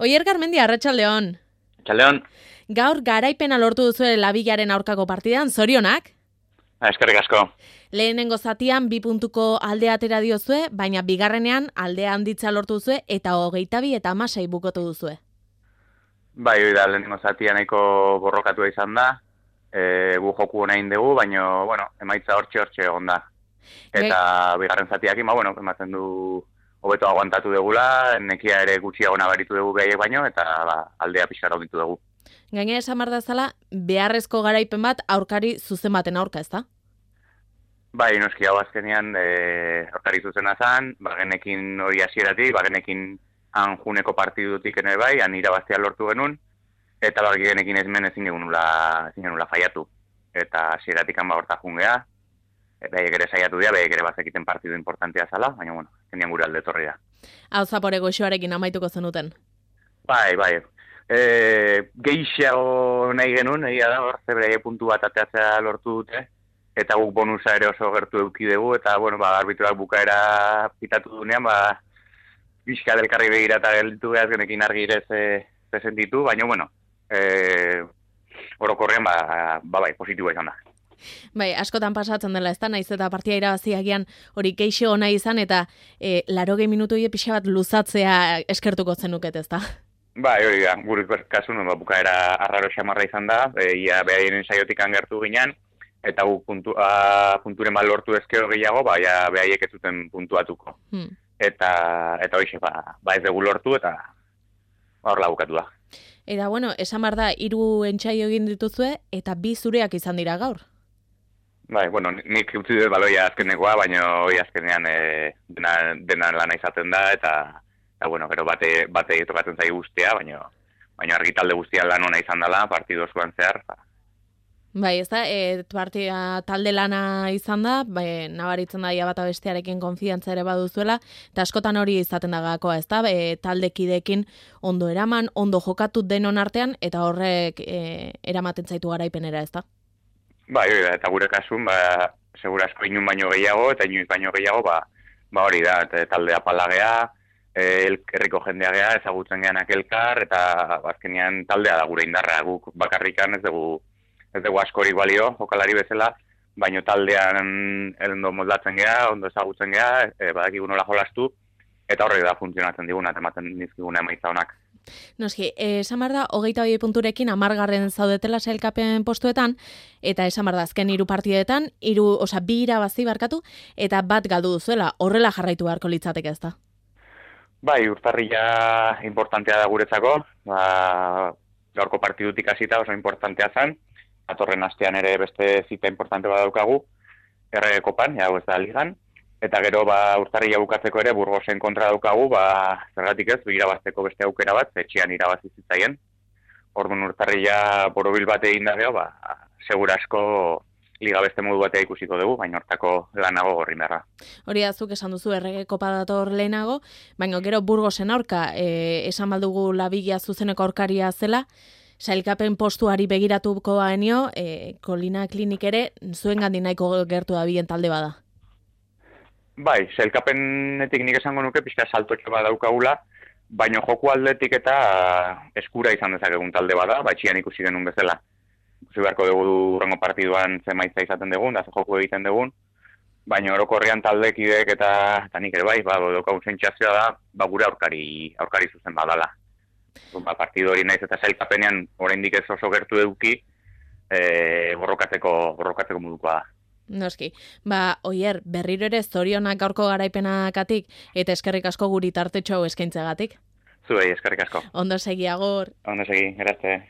Oier Garmendi, arratsaldeon. Txaldeon. Gaur garaipena lortu duzue Labillaren aurkako partidan, zorionak? Eskerrik asko. Lehenengo zatian 2 puntuko aldea atera diozue, baina bigarrenean aldea handitza lortu duzue eta 22 eta 16 bukotu duzue. Bai, hori da, lehenengo zatia nahiko borrokatua izan da. Gu joku nahi dugu, baina, bueno, emaitza hortxe egon da. Eta bigarren zatiakin, ematen du hobeto aguantatu degula, nekia ere gutxiago nabaritu dugu behaiek baino, eta aldea pixkara honditu dugu. Gainera esan behar dazala, beharrezko garaipen bat aurkari zuzen baten aurka, ezta? Bai, noski hau azkenean aurkari zuzena zan, bagenekin hori hasieratik, bagenekin han juneko partidutik ene bai, han irabaztea lortu genuen, eta bagenekin ezin genula faiatu. Eta hasieratik han horta jungea, behaiek ere saiatu dira, behaiek ere bazekiten partidu importantea zala, baina, azkenean gure alde torri da. Hau zapore goxoarekin amaituko zenuten. Bai. Gehiago nahi genuen, egia da, hor, zebre puntu bat ateatzea lortu dute, eta guk bonusa ere oso gertu eduki dugu, eta, arbitruak bukaera pitatu dunean, bizka delkarri begirata gelditu behaz genekin argi ere sentitu, baina, orokorrean, bai, positiboa izan da. Bai, askotan pasatzen dela, ez da, naiz eta partia irabaziagian hori keixo ona izan, eta 80 minutu pixa bat luzatzea eskertuko zenuket, ez da? Bai, hori da, gure kasun, bukaera arraro xamarra izan da, behaien saiotik angertu ginen, eta gu punturen bat lortu ezkero gehiago, behaiek ez zuten puntuatuko. Eta hoxe, ez dugu lortu, eta horla bukatu da. Eta, esan behar da, 3 entsaio egin dituzue, eta 2 zureak izan dira gaur. Bai, nik utzi dut baloia azkenekoa, baina hori azkenean dena lana izaten da, eta gero bate tokatzen zai guztia, baina argi talde guztia lan ona izan dela, partidu osoan zehar. Bai, ez da, partida talde lana izan da, nabaritzen da ia bata bestearekin konfidantza ere baduzuela, eta askotan hori izaten da gakoa, ez da, taldekideekin ondo eraman, ondo jokatu denon artean, eta horrek eramaten zaitu garaipenera, ez da? Bai, hori da, eta gure kasun, segurasko inun baino gehiago, eta inoiz baino gehiago, hori da, taldea palagea, herriko jendea gea, ezagutzen geanak elkar, eta azkenean taldea da gure indarra, guk bakarrikan ez dugu askorik balio, jokalari bezala, baino taldean ondo moldatzen gea, ondo ezagutzen gea, badakigu nola jolastu, eta horrek da funtzionatzen diguna, eta ematen dizkiguna emaitza honak. Noski, esan behar da, 22 punturekin 10. zaudetela sailkapen postuetan, eta esan behar da, azken 3 partidetan, 2 irabazi barkatu, eta 1 galdu duzuela, horrela jarraitu beharko litzateke, ez da? Bai, urtarrila importantea da guretzako, gaurko partidutik hasita oso importantea zen, atorren astean ere beste zita importante bat daukagu, errege kopan, ez da ligan, eta gero urtarrila bukatzeko ere Burgosen kontra daukagu, zergatik ez, irabazteko beste aukera bat, etxean irabazi zitzaien. Orduan urtarrila borobil bat egin da gero, segura asko liga beste modu batea ikusiko dugu, baina hortako lanago gorri merra. Hori da, zuk esan duzu errege kopa dator lehenago, baina gero Burgosen aurka, esan baldugu Labilla zuzeneko aurkaria zela, sailkapen postuari begiratuko baenio, Kolina Klinik ere, zuen gandin nahiko gertu da bien talde bada. Bai, sailkapenetik nik esango nuke pixka saltotxo bat daukagula, baina joku aldetik eta eskura izan dezakegun talde bada, txian ikusi genuen bezala. Ikusi beharko dugu urrengo partiduan zemaitza izaten dugun, da ze joku egiten dugun, baina orokorrean taldekideek eta nik ere bai, daukagun sentsazioa da, gure aurkari zuzen badala. Partidu hori naiz eta sailkapenean oraindik ez oso gertu eduki, borrokatzeko modukoa da. Noski, Oier, berriro ere zorionak gaurko garaipenagatik eta eskerrik asko guri tartetxo hau eskaintzagatik. Zuei, eskerrik asko. Ondo segi, agur. Ondo segi, erazte.